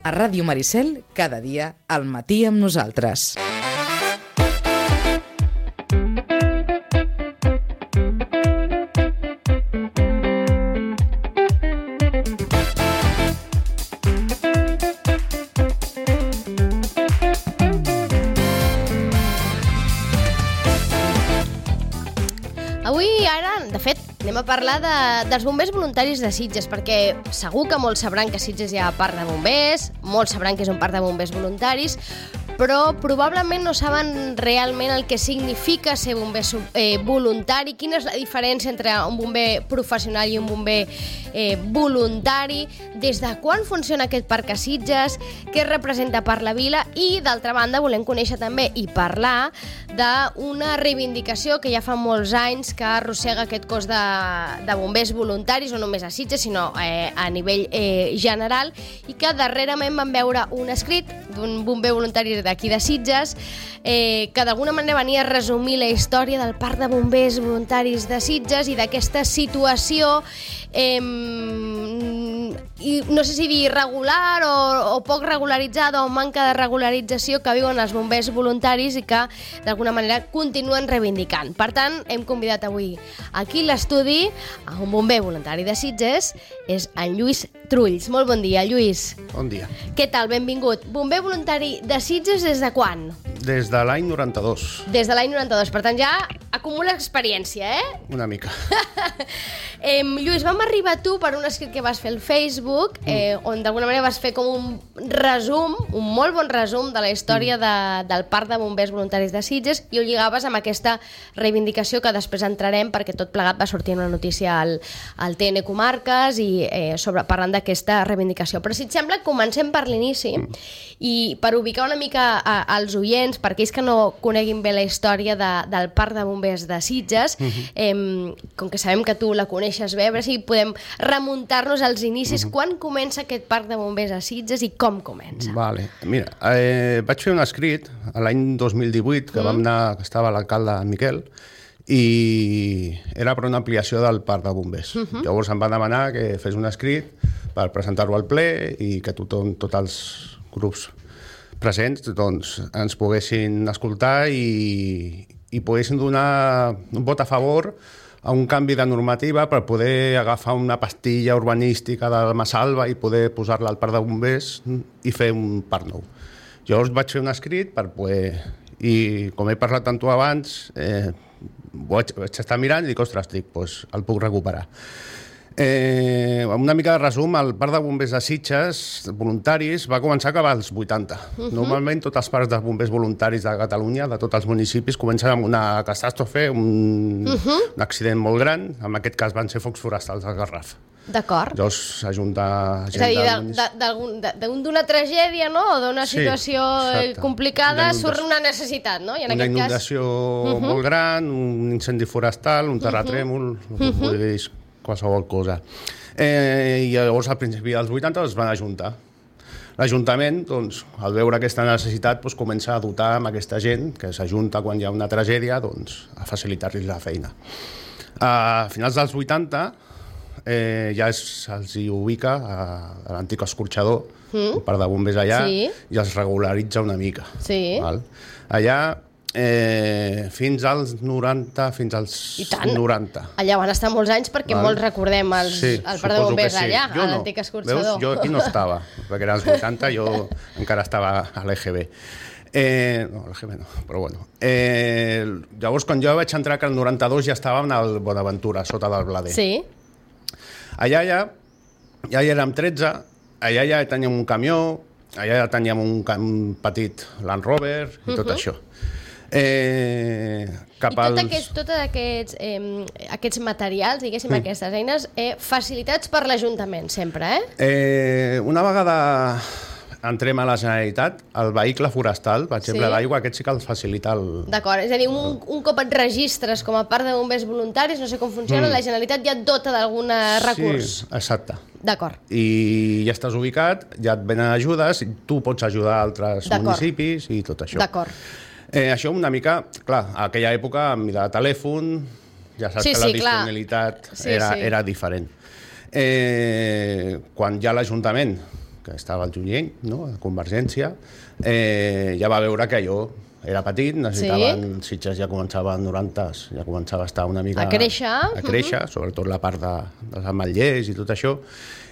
A Ràdio Maricel, cada dia, al matí amb nosaltres. Avui, ara, de fet, anem a parlar dels bombers voluntaris de Sitges, perquè segur que molts sabran que a Sitges hi ha parc de bombers, molts sabran que és un parc de bombers voluntaris, però probablement no saben realment el que significa ser bomber voluntari, quina és la diferència entre un bomber professional i un bomber voluntari, des de quan funciona aquest parc a Sitges, què representa per la vila i, d'altra banda, volem conèixer també i parlar d'una reivindicació que ja fa molts anys que arrossega aquest cos de bombers voluntaris, no només a Sitges, sinó a nivell general, i que darrerament vam veure un escrit d'un bomber voluntari d'aquí de Sitges, que d'alguna manera venia a resumir la història del parc de bombers voluntaris de Sitges i d'aquesta situació, i no sé si dir irregular o poc regularitzada o manca de regularització que viuen els bombers voluntaris i que d'alguna manera continuen reivindicant. Per tant, hem convidat avui aquí a l'estudi a un bomber voluntari de Sitges, és en Lluís Trulls. Molt bon dia, Lluís. Bon dia. Què tal? Benvingut. Bomber voluntari de Sitges des de quan? Des de l'any 92. Des de l'any 92, per tant ja acumula experiència, Una mica. Lluís, vam arribar a tu per un escrit que vas fer al Facebook, on d'alguna manera vas fer com un resum, un molt bon resum de la història del parc de bombers voluntaris de Sitges, i ho lligaves amb aquesta reivindicació que després entrarem, perquè tot plegat va sortir una notícia al TN Comarques i parlant d'aquesta reivindicació. Però si et sembla, comencem per l'inici, i per ubicar una mica als oients, per aquells que no coneguin bé la història del parc de bombers de Sitges, com que sabem que tu la coneixes bé, a veure si podem remuntar-nos als inicis. Quan comença aquest parc de bombers a Sitges i com comença? Vale. Mira, vaig fer un escrit l'any 2018, que vam anar, que estava l'alcalde Miquel, i era per una ampliació del parc de bombers. Llavors em va demanar que fes un escrit per presentar-ho al ple i que tothom, tots els grups presents, doncs, ens poguessin escoltar i poguessin donar un vot a favor a un canvi de normativa per poder agafar una pastilla urbanística de Massalva i poder posar-la al parc de bombers i fer un parc nou. Llavors vaig fer un escrit per poder... I com he parlat amb tu abans, vaig estar mirant i dic, ostres, doncs el puc recuperar. Una mica de resum, el parc de bombers de Sitges, voluntaris, va començar cap als 80. Normalment tots els parcs de bombers voluntaris de Catalunya, de tots els municipis, comencen amb una catàstrofe, un accident molt gran. En aquest cas van ser focs forestals al Garraf. D'acord. Llavors s'ajunta... És a dir, d'una tragèdia, no? O d'una situació complicada surt una necessitat, no? Una inundació molt gran, un incendi forestal, un terratrèmol, qualsevol cosa. I llavors al principi dels 80 es van ajuntar. L'Ajuntament, doncs, al veure aquesta necessitat, comença a dotar amb aquesta gent que s'ajunta quan hi ha una tragèdia, doncs, a facilitar-los la feina. A finals dels 80 ja se'ls ubica a l'antic escorxador, un parc de bombers allà, i els regularitza una mica. Allà fins als 90, fins als 90. Allà van estar molts anys perquè molts recordem el parc de bombers allà, a l'antic escorxador. Jo aquí no estava, perquè eren els 80, jo encara estava a l'EGB. No, l'EGB no, però bueno. Llavors, quan jo vaig entrar, que el 92 ja estàvem al Bonaventura, sota del Blader. Sí. Allà ja érem 13, allà ja teníem un camió, allà ja teníem un petit Land Rover i tot això. I tots aquests materials, diguéssim, aquestes eines, facilitats per l'Ajuntament, sempre, Una vegada entrem a la Generalitat, el vehicle forestal, per exemple, l'aigua, aquest sí que el facilita el... D'acord, és a dir, un cop et registres com a parc de bombers voluntaris, no sé com funciona, la Generalitat ja et dota d'algun recurs. Sí, exacte. D'acord. I ja estàs ubicat, ja et venen ajudes, i tu pots ajudar altres municipis i tot això. D'acord. Això una mica, clar, a aquella època, amb de telèfon, ja saps que la disponibilitat era diferent. Quan ja l'Ajuntament, que que estava al Junyent, no? A Convergència, ja va veure que jo era petit, necessitaven, Sitges ja començava en 90s, ja començava a estar una mica... A créixer. Sobretot la part dels ametllers i tot això,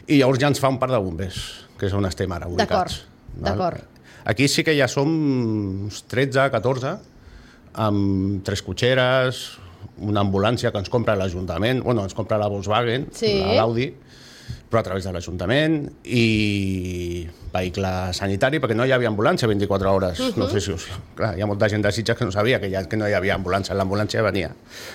i llavors ja ens fa un parc de bombers, que és on estem ara ubicats. D'acord. Aquí sí que ja som uns 13, 14, amb 3 cotxeres, una ambulància que ens compra l'Ajuntament, ens compra la Volkswagen, l'Audi, però a través de l'Ajuntament, i vehicle sanitari, perquè no hi havia ambulància 24 hores. No sé si clar, hi ha molta gent de Sitges que no sabia que no hi havia ambulància. L'ambulància venia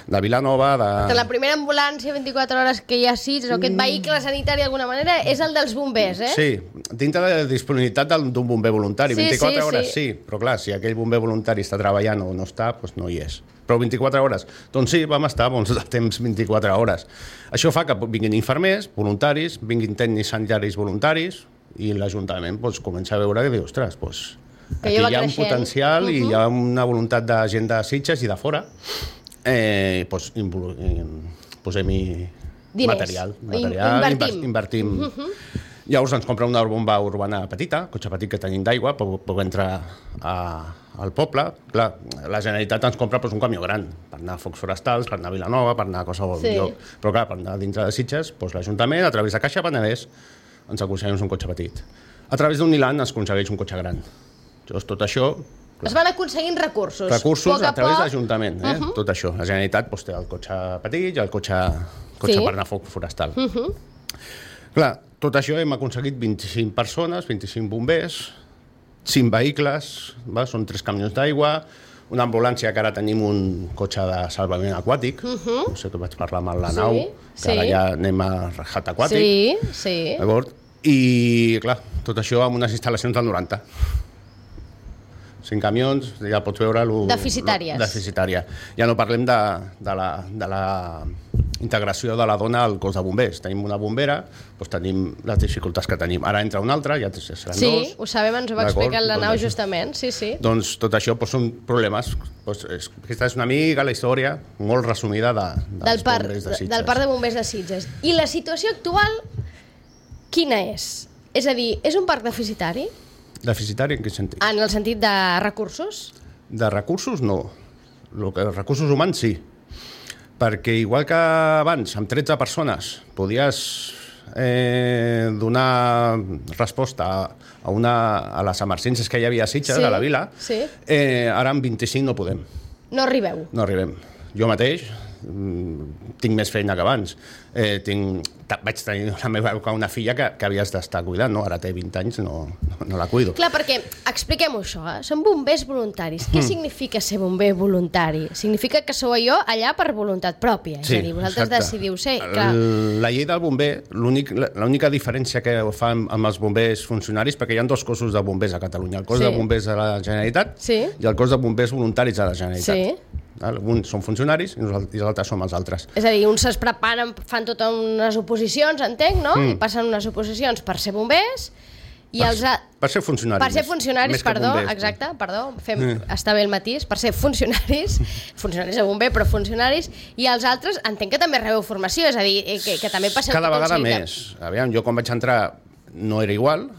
de Vilanova, La primera ambulància 24 hores que hi ha a Sitges, o aquest vehicle sanitari d'alguna manera, és el dels bombers, Sí, dintre de la disponibilitat d'un bomber voluntari. 24 hores sí, però clar, si aquell bomber voluntari està treballant o no està, doncs no hi és. Però 24 hores, doncs sí, vam estar bons de temps 24 hores. Això fa que vinguin infermers, voluntaris, vinguin tècnics sanitaris voluntaris, i l'Ajuntament comença a veure que diu, ostres, aquí hi ha un potencial i hi ha una voluntat de gent de Sitges i de fora, posem-hi material, invertim. Llavors ens compra una bomba urbana petita, cotxe petit que tenim d'aigua, per entrar al poble. Clar, la Generalitat ens compra un camió gran, per anar a Focs Forestals, per anar a Vilanova, per anar a qualsevol lloc. Però clar, per anar dintre de Sitges, l'Ajuntament, a través de Caixa Penedès, ens aconseguim un cotxe petit. A través d'un Nilan es aconsegueix un cotxe gran. Llavors, tot això... Es van aconseguint recursos. Recursos a través de l'Ajuntament, tot això. La Generalitat té el cotxe petit i el cotxe per anar a foc forestal. Clar, tot això hem aconseguit 25 persones, 25 bombers, 5 vehicles, són 3 camions d'aigua, una ambulància, que ara tenim un cotxe de salvament aquàtic, no sé que vaig parlar amb la nau, que ara ja anem a rescat aquàtic. Sí. I, clar, tot això amb unes instal·lacions del 90. 5 camions, ja pots veure... Deficitàries. Deficitària. Ja no parlem de la integració de la dona al cos de bombers. Tenim una bombera, tenim les dificultats que tenim. Ara entra una altra, ja seran 2. Sí, ho sabem, ens ho va explicar la nau justament, sí. Doncs tot això són problemes. Aquesta és una mica la història molt resumida dels bombers de Sitges. Del parc de bombers de Sitges. I la situació actual, quina és? És a dir, és un parc deficitari? Deficitari en quin sentit? En el sentit de recursos? De recursos, no. Recursos humans, sí. Perquè igual que abans, amb 13 persones, podies donar resposta a les emergències que hi havia a Sitges, a la vila, ara amb 25 no podem. No arribeu? No arribem. Jo mateix tinc més feina que abans. Vaig tenir la meva època una filla que havies d'estar cuidant, no? Ara té 20 anys, no la cuido. Clar, perquè, expliquem-ho això, són bombers voluntaris. Què significa ser bomber voluntari? Significa que sou allà per voluntat pròpia, és a dir, vosaltres decidiu ser... La llei del bomber, l'única diferència que fa amb els bombers funcionaris, perquè hi ha 2 cossos de bombers a Catalunya, el cos de bombers de la Generalitat i el cos de bombers voluntaris de la Generalitat. Uns són funcionaris i els altres som els altres. És a dir, uns es preparen, fan totes unes oposicions, entenc, no? I passen unes oposicions per ser bombers i per ser funcionaris. Per ser funcionaris, perdó, exacte, està bé el matís, per ser funcionaris de bomber, però funcionaris, i els altres entenc que també rebeu formació, és a dir, que també passeu... Cada vegada més. Aviam, jo quan vaig entrar no era igual,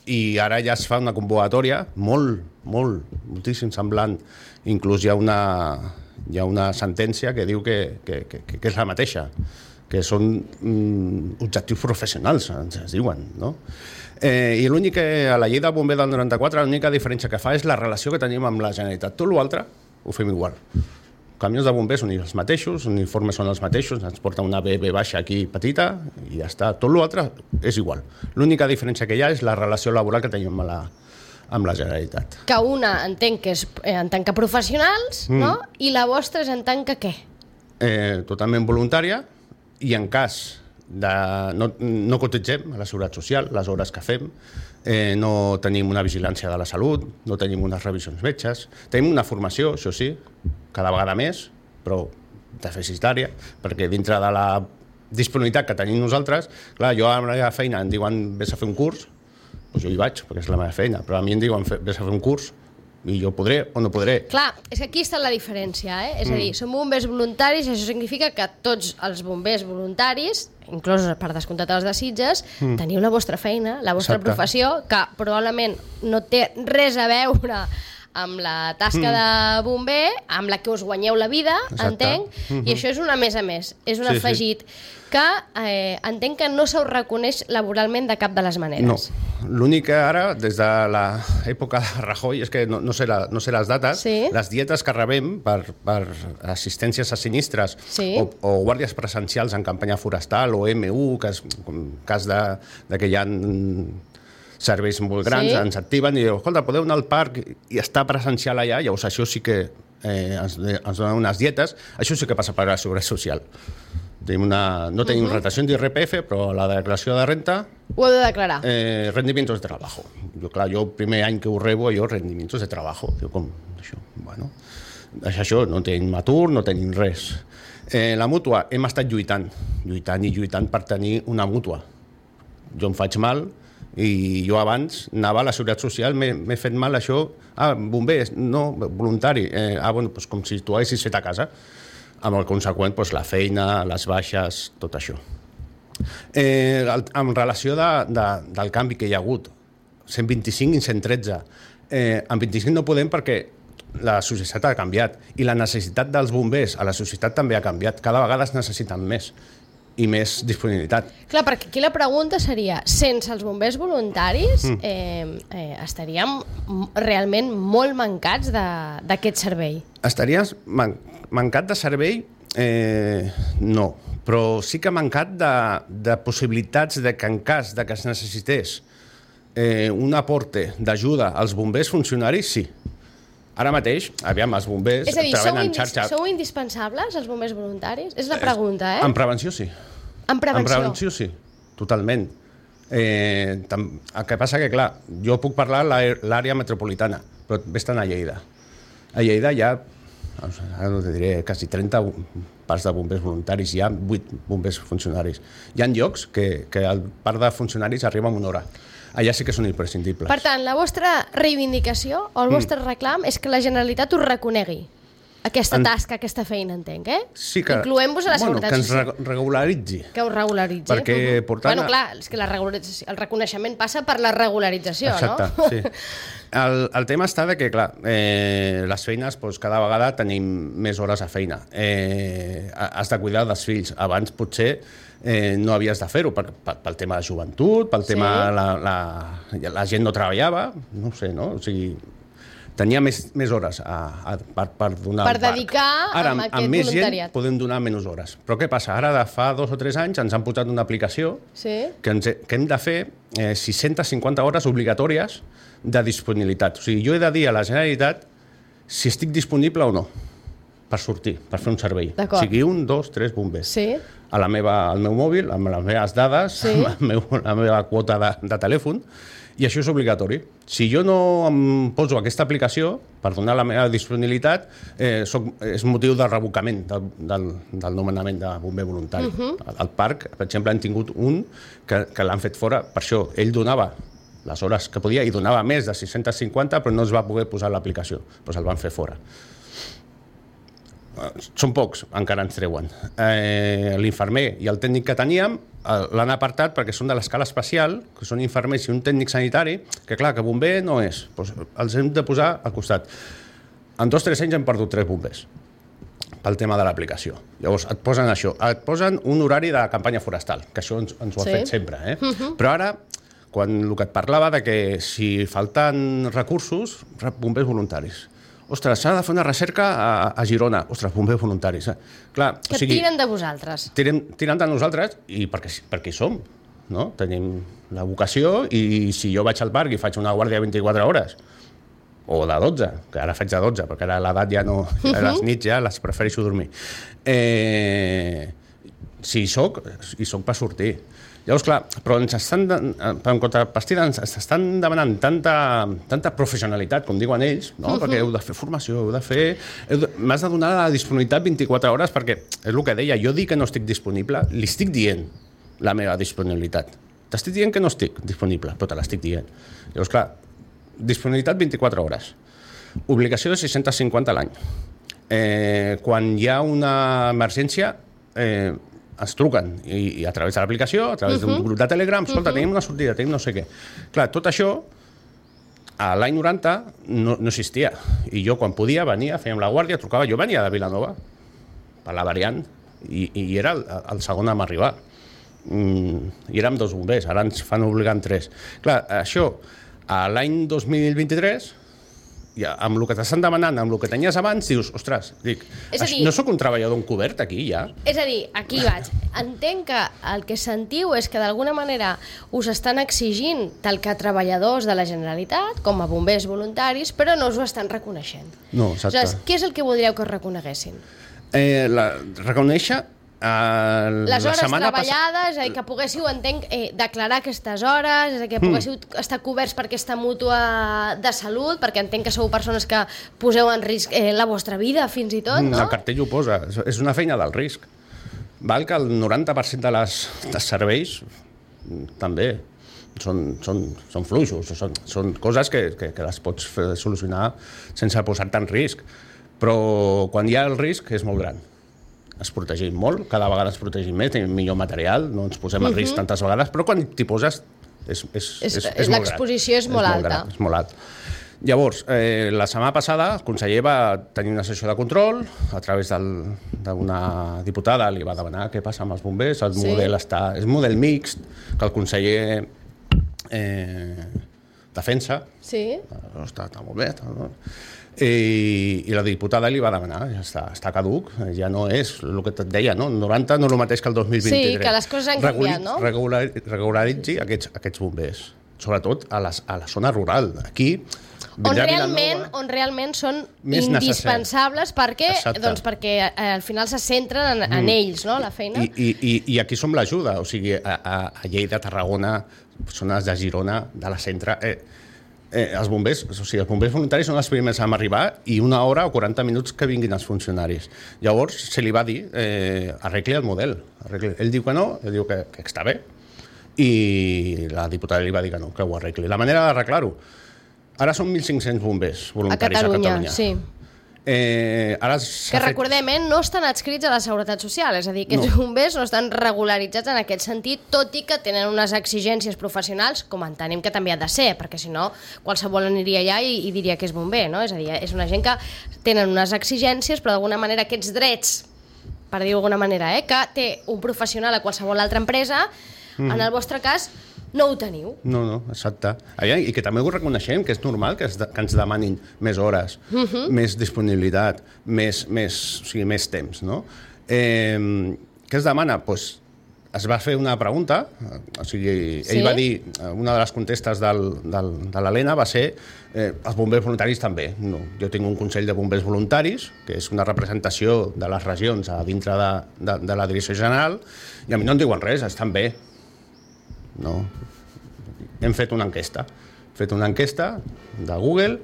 i ara ja es fa una convocatòria moltíssim semblant. Inclús hi ha una sentència que diu que és la mateixa, que són objectius professionals, ens diuen, no? I l'únic que a la llei del bomber del 94 l'única diferència que fa és la relació que tenim amb la Generalitat. Tot l'altre ho fem igual. Camions de bombers són els mateixos, uniformes són els mateixos, ens porta una BB baixa aquí petita i ja està. Tot l'altre és igual. L'única diferència que hi ha és la relació laboral que tenim amb la Generalitat. Que una entenc que és en tant que professionals, no? I la vostra és en tant que què? Totalment voluntària, i en cas de... No cotitzem a la Seguretat Social, les hores que fem, no tenim una vigilància de la salut, no tenim unes revisions metges, tenim una formació, això sí, cada vegada més, però deficitària, perquè dintre de la disponibilitat que tenim nosaltres, clar, jo a la meva feina em diuen vés a fer un curs, doncs jo hi vaig, perquè és la meva feina, però a mi em diuen vés a fer un curs, I jo podré o no podré. Clar, és que aquí està la diferència, És a dir, som bombers voluntaris i això significa que tots els bombers voluntaris, inclús per descomptat els de Sitges, teniu la vostra feina, la vostra professió, que probablement no té res a veure amb la tasca de bomber, amb la que us guanyeu la vida, entenc, i això és una més a més, és un afegit que entenc que no se us reconeix laboralment de cap de les maneres. No, l'únic que ara, des de l'època de Rajoy, és que no sé les dates, les dietes que rebem per assistències a sinistres o guàrdies presencials en campanya forestal o MU, que és en cas de que hi ha serveis molt grans, ens activen i diuen, escolta, podeu anar al parc i estar presencial allà, llavors això sí que ens donen unes dietes, això sí que passa per la Seguretat Social. No tenim retenció d'IRPF, però la declaració de renta... Ho heu de declarar. Rendimientos de trabajo. Jo el primer any que ho rebo, rendimientos de trabajo. Diu, com això? Bueno, això, no tenim atur, no tenim res. La mútua, hem estat lluitant per tenir una mútua. Jo em faig mal, i jo abans anava a la Seguretat Social, m'he fet mal això, bombers, no, voluntari, bueno, doncs com si tu haguessis fet a casa, amb el conseqüent, la feina, les baixes, tot això. En relació del canvi que hi ha hagut, 125 i 113, en 25 no podem perquè la societat ha canviat i la necessitat dels bombers a la societat també ha canviat, cada vegada es necessiten més i més disponibilitat. Clar, perquè aquí la pregunta seria, sense els bombers voluntaris estaríem realment molt mancats d'aquest servei? Estaries mancat de servei? No, però sí que mancat de possibilitats de que en cas de que es necessités un aporte d'ajuda als bombers funcionaris, sí. Ara mateix, aviam, els bombers treballen en xarxa... Sou indispensables, els bombers voluntaris? És la pregunta, En prevenció, sí. En prevenció? En prevenció, sí, totalment. El que passa que, clar, jo puc parlar l'àrea metropolitana, però estan a Lleida. A Lleida hi ha, ara no te diré, quasi 30 parts de bombers voluntaris, hi ha 8 bombers funcionaris. Hi ha llocs que el parc de funcionaris arriba en una hora. Allà sí que són imprescindibles. Per tant, la vostra reivindicació o el vostre reclam és que la Generalitat us reconegui aquesta tasca, aquesta feina, entenc, Sí que... incloent-vos a la Seguretat Social. Que ens regularitzi. Que us regularitzi. Perquè portant... Bueno, clar, és que el reconeixement passa per la regularització, no? Exacte, sí. El tema està que, clar, les feines, cada vegada tenim més hores a feina. Has de cuidar dels fills. Abans, potser, no havies de fer-ho pel tema de joventut, pel tema... La gent no treballava, no sé, no? O sigui, tenia més hores per donar per dedicar ara, amb aquest més voluntariat. Gent podem donar menys hores. Però què passa? Ara, de fa 2 o 3 anys, ens han posat una aplicació que hem de fer 650 hores obligatòries de disponibilitat. O sigui, jo he de dir a la Generalitat si estic disponible o no per sortir, per fer un servei. O sigui, 1, 2, 3 bombers. Al meu mòbil, amb les meves dades, amb la meva quota de telèfon, i això és obligatori. Si jo no em poso aquesta aplicació per donar la meva disponibilitat, és motiu de revocament del nomenament de bomber voluntari. Al parc, per exemple, hem tingut un que l'han fet fora. Per això, ell donava les hores que podia i donava més de 650, però no es va poder posar l'aplicació. Doncs el van fer fora. Són pocs, encara ens treuen. L'infermer i el tècnic que teníem l'han apartat perquè són de l'escala especial, que són infermers i un tècnic sanitari, que clar, que bomber no és. Doncs els hem de posar al costat. En 2 o 3 anys hem perdut 3 bombers pel tema de l'aplicació. Llavors et posen això, et posen un horari de campanya forestal, que això ens ho ha fet sempre. Però ara, quan el que et parlava de que si falten recursos, bombers voluntaris. Ostres, s'ha de fer una recerca a Girona. Ostres, bombers voluntaris. Clar, que tiren de vosaltres. Tiren de nosaltres i perquè hi som. No? Tenim la vocació i si jo vaig al parc i faig una guàrdia de 24 hores, o de 12, que ara faig de 12, perquè ara l'edat ja no... A les nits ja les prefereixo dormir. Si hi soc per sortir. Llavors, clar, però ens estan, per contrapartida, ens estan demanant tanta professionalitat, com diuen ells, no? Perquè heu de fer formació, m'has de donar la disponibilitat 24 hores, perquè és el que deia, jo dic que no estic disponible, li estic dient la meva disponibilitat. T'estic dient que no estic disponible, però te l'estic dient. Llavors, clar, disponibilitat 24 hores. Obligació de 650 a l'any. Quan hi ha una emergència, ens truquen i a través de l'aplicació, a través d'un grup de Telegram, escolta, tenim una sortida, tenim no sé què. Clar, tot això a l'any 90 no existia. I jo, quan podia, venia, fèiem la guàrdia, trucava. Jo venia de Vilanova, per la variant, i era el segon a arribar. I érem 2 bombers, ara ens fan obligar en 3. Clar, això, a l'any 2023, amb el que t'estan demanant, amb el que tenies abans, dius, ostres, no sóc un treballador encobert aquí, ja? És a dir, aquí vaig. Entenc que el que sentiu és que d'alguna manera us estan exigint tal que treballadors de la Generalitat, com a bombers voluntaris, però no us ho estan reconeixent. No, exacte. Aleshores, què és el que voldríeu que us reconeguessin? Reconèixer les hores treballades, és a dir, que poguéssiu, entenc, declarar aquestes hores, és a dir, que poguéssiu estar coberts per aquesta mútua de salut, perquè entenc que sou persones que poseu en risc la vostra vida, fins i tot, no? El cartell ho posa, és una feina del risc. Val que el 90% dels serveis també són fluixos, són coses que les pots solucionar sense posar-te en risc, però quan hi ha el risc és molt gran. Ens protegim molt, cada vegada ens protegim més, tenim millor material, no ens posem en risc tantes vegades, però quan t'hi poses és molt gran. L'exposició és molt alta. És molt alt. Llavors, la setmana passada el conseller va tenir una sessió de control, a través d'una diputada li va demanar què passa amb els bombers, el model és un model mixt, que el conseller defensa. Sí. Està molt bé, i la diputada li va demanar, ja està caduc, ja no és el que et deia, no? El 90 no és el mateix que el 2023. Sí, que les coses han canviat, no? Regularitzi aquests bombers, sobretot a la zona rural. Aquí, on realment són indispensables perquè al final se centren en ells, no?, la feina. I aquí som l'ajuda, o sigui, a Lleida, Tarragona, zones de Girona, de la Centre... els bombers voluntaris són els primers a arribar i 1 hora o 40 minuts que vinguin els funcionaris. Llavors se li va dir arregli el model. Ell diu que no, ell diu que està bé, i la diputada li va dir que no, que ho arregli. La manera d'arreglar-ho, ara són 1.500 bombers voluntaris a Catalunya. Sí. Que recordem, no estan adscrits a la Seguretat Social, és a dir, que els bombers no estan regularitzats en aquest sentit, tot i que tenen unes exigències professionals, com entenem que també ha de ser, perquè si no qualsevol aniria allà i diria que és bomber, no? És a dir, és una gent que tenen unes exigències, però d'alguna manera aquests drets, per dir-ho d'alguna manera, que té un professional a qualsevol altra empresa, en el vostre cas no ho teniu. No, exacte. I que també ho reconeixem, que és normal que ens demanin més hores, més disponibilitat, més temps, no? Què es demana? Doncs es va fer una pregunta, o sigui, ell va dir, una de les contestes de l'Helena va ser els bombers voluntaris també. No, jo tinc un Consell de Bombers Voluntaris, que és una representació de les regions a dintre de la Direcció General, i a mi no em diuen res, estan bé. No. Hem fet una enquesta. De Google,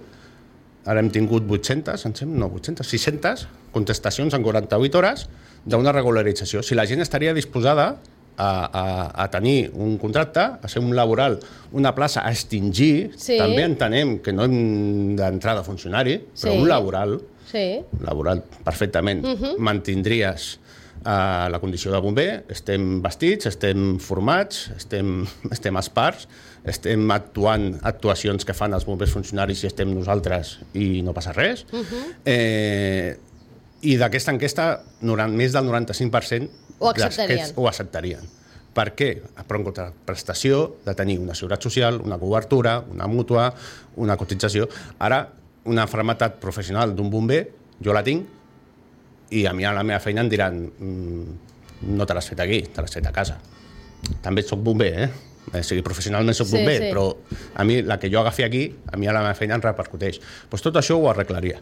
ara hem tingut 600 contestacions en 48 hores d'una regularització. Si la gent estaria disposada a tenir un contracte, a ser un laboral, una plaça a extingir, també entenem que no hem d'entrar de funcionari, però un laboral perfectament, mantindries la condició de bomber, estem vestits, estem formats, estem esparts, estem actuant actuacions que fan els bombers funcionaris i estem nosaltres i no passa res. I d'aquesta enquesta, més del 95% ho acceptarien. Per què? Per una contraprestació de tenir una seguretat social, una cobertura, una mútua, una cotització. Ara, una malaltia professional d'un bomber, jo la tinc, i a mi a la meva feina em diran no te l'has fet aquí, te l'has fet a casa. També soc bomber, O sigui, professionalment soc bomber, però a mi la que jo agafi aquí, a mi a la meva feina em repercuteix. Doncs tot això ho arreglaria.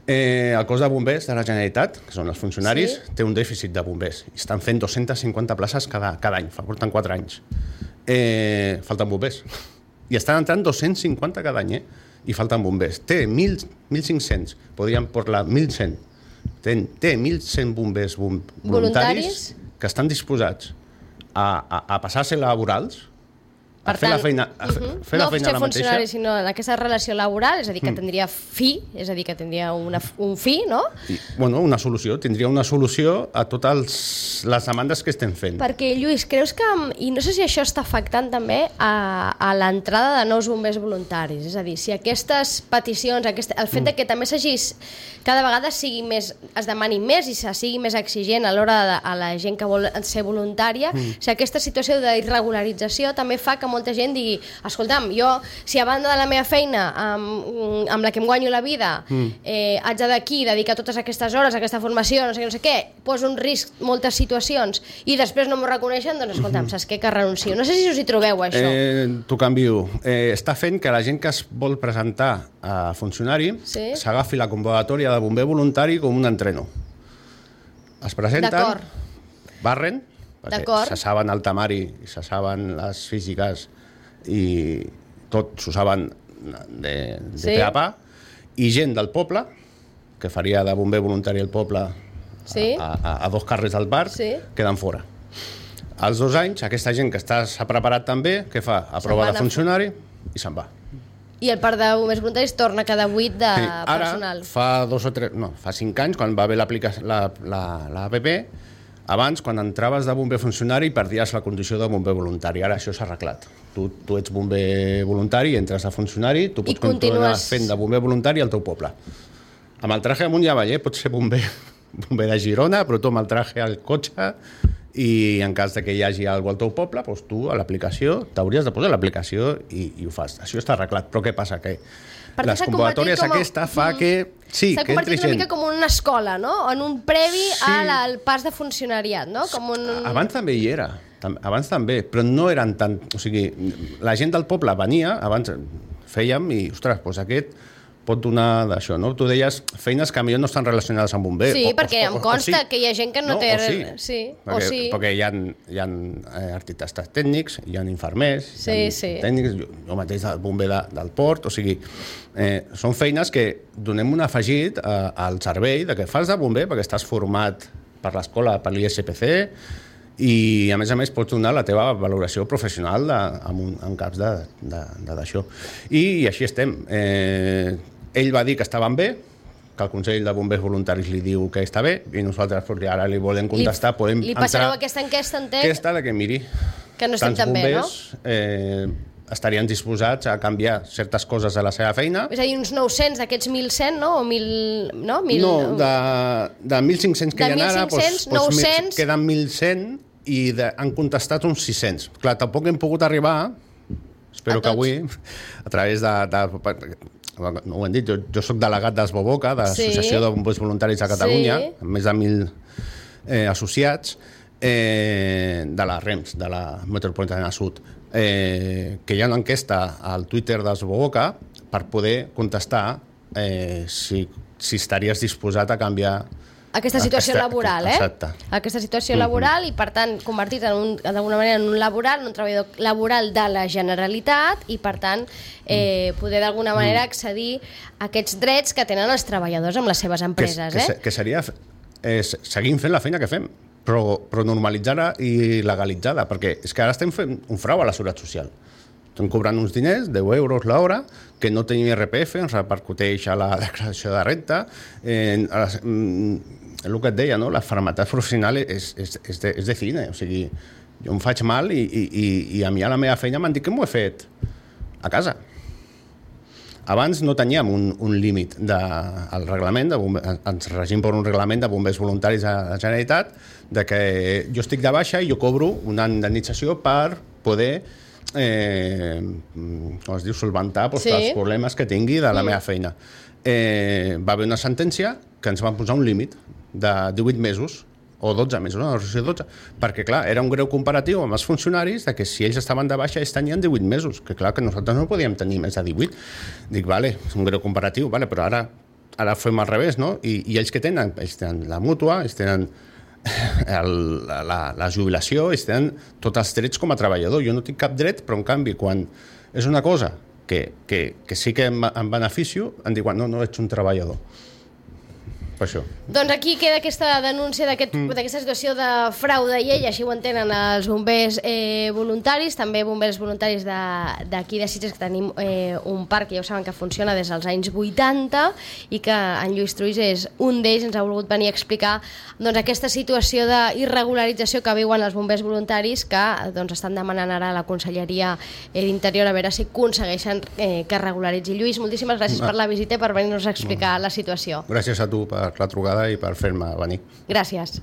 El cos de bombers de la Generalitat, que són els funcionaris, té un dèficit de bombers. Estan fent 250 places cada any, porten 4 anys. Falten bombers. I estan entrant 250 cada any, i falten bombers. Té 1.500, podríem parlar 1.100. Té 1.100 bombers voluntaris que estan disposats a passar a ser laborals a fer la feina, fer la feina no ser funcionari, sinó en aquesta relació laboral, és a dir, que tindria fi, és a dir, que tindria un fi, no? Una solució, tindria una solució a totes les demandes que estem fent. Perquè, Lluís, creus que, i no sé si això està afectant també a l'entrada de nous bombers voluntaris, és a dir, si aquestes peticions, el fet de que també cada vegada es demani més i se sigui més exigent a l'hora a la gent que vol ser voluntària, si aquesta situació d'irregularització també fa que molta gent digui, escolta'm, jo, si a banda de la meva feina amb la que em guanyo la vida haig d'aquí dedicar totes aquestes hores a aquesta formació, no sé què, poso en risc moltes situacions i després no m'ho reconeixen, doncs escolta'm, saps què, que renuncio. No sé si us hi trobeu, això. T'ho canvio. Està fent que la gent que es vol presentar a funcionari s'agafi la convocatòria de bomber voluntari com un entreno. Es presenten, barren, perquè se saben el temari, se saben les físiques i tot s'ho saben de pe a pa, i gent del poble, que faria de bomber voluntari al poble a 2 carrers del parc, queden fora. Als 2 anys, aquesta gent que s'ha preparat també, què fa? Aprova de funcionari i se'n va. I el parc de bombers voluntaris torna cada 8 de personal. Ara, fa 5 anys, quan va haver l'APP, abans, quan entraves de bomber funcionari, perdies la condició de bomber voluntari. Ara això s'ha arreglat. Tu ets bomber voluntari, entres a funcionari, tu pots continuar fent de bomber voluntari al teu poble. Amb el traje amunt i avall, pots ser bomber de Girona, però tu amb el traje al cotxe, i en cas que hi hagi alguna al teu poble, doncs tu a l'aplicació t'hauries de posar l'aplicació i ho fas. Això està arreglat, però què passa? Que les convocatòries aquesta fa que s'ha convertit una mica com una escola, no? En un previ al pas de funcionariat, no? Abans també hi era, abans també, però no eren tant... O sigui, la gent del poble venia, abans fèiem i, ostres, doncs aquest pot donar d'això, no? Tu deies feines que potser no estan relacionades amb bomber. Sí, perquè em consta que hi ha gent que no té... Perquè hi ha arquitectes tècnics, hi ha infermers, tècnics, jo mateix el bomber del port, o sigui, són feines que donem un afegit al servei de que fas de bomber perquè estàs format per l'escola, per l'ISPC, i a més pots donar la teva valoració professional en caps d'això. I així estem. Ell va dir que estaven bé, que el Consell de Bombers Voluntaris li diu que està bé, i nosaltres ara li volem contestar, podem entrar... Li passareu aquesta enquesta, entenc? Aquesta de que miri, que no estem tan bé, no? Estarien disposats a canviar certes coses de la seva feina. És a dir, uns 900 d'aquests 1.100, no? O 1.000... No, de 1.500 que hi ha ara, 900... queden 1.100 i han contestat uns 600. Clar, tampoc hem pogut arribar, espero que avui, a través no ho hem dit, jo soc delegat d'Esboboca, de l'Associació de Bombers Voluntaris de Catalunya, amb més de 1.000 associats, de la REMS, de la Metropolitana Sud, que hi ha una enquesta al Twitter d'Esboboca per poder contestar si estaries disposat a canviar aquesta situació laboral, Exacte. Aquesta situació laboral i, per tant, convertit d'alguna manera en un laboral, un treballador laboral de la Generalitat i, per tant, poder d'alguna manera accedir a aquests drets que tenen els treballadors amb les seves empreses. Que seria seguim fent la feina que fem, però normalitzada i legalitzada, perquè és que ara estem fent un frau a la Seguretat Social. Estem cobrant uns diners, 10 euros l'hora, que no tenim IRPF, ens repercuteix a la declaració de renta. El que et deia, no? La malaltia professional és de cine, o sigui, jo em faig mal i a mi a la meva feina m'han dit que m'ho he fet a casa. Abans no teníem un límit del reglament, ens regim per un reglament de bombers voluntaris a la Generalitat, de que jo estic de baixa i jo cobro una indemnització per poder com es diu, solventar els problemes que tingui de la meva feina. Va haver una sentència que ens van posar un límit de 18 mesos o 12 mesos, no, 12, perquè clar, era un greu comparatiu amb els funcionaris de que si ells estaven de baixa ells tenien 18 mesos, que clar que nosaltres no podíem tenir més de 18. Dic, vale, és un greu comparatiu, vale, però ara fem al revés, no? I ells que tenen? Ells tenen la mútua, ells tenen la jubilació, ells tenen tots els drets com a treballador. Jo no tinc cap dret, però en canvi, quan és una cosa que sí que em beneficio, em diuen, no ets un treballador. per això. Doncs aquí queda aquesta denúncia d'aquesta situació de frau de llei, així ho entenen els bombers voluntaris, també bombers voluntaris d'aquí de Sitges, que tenim un parc que ja ho saben que funciona des dels anys 80 i que en Lluís Truís és un d'ells, ens ha volgut venir a explicar doncs, aquesta situació d'irregularització que viuen els bombers voluntaris que doncs, estan demanant ara a la Conselleria d'Interior a veure si aconsegueixen que es regularitzi. Lluís, moltíssimes gràcies per la visita i per venir-nos a explicar la situació. Gràcies a tu per la trucada i per fer-me venir. Gràcies.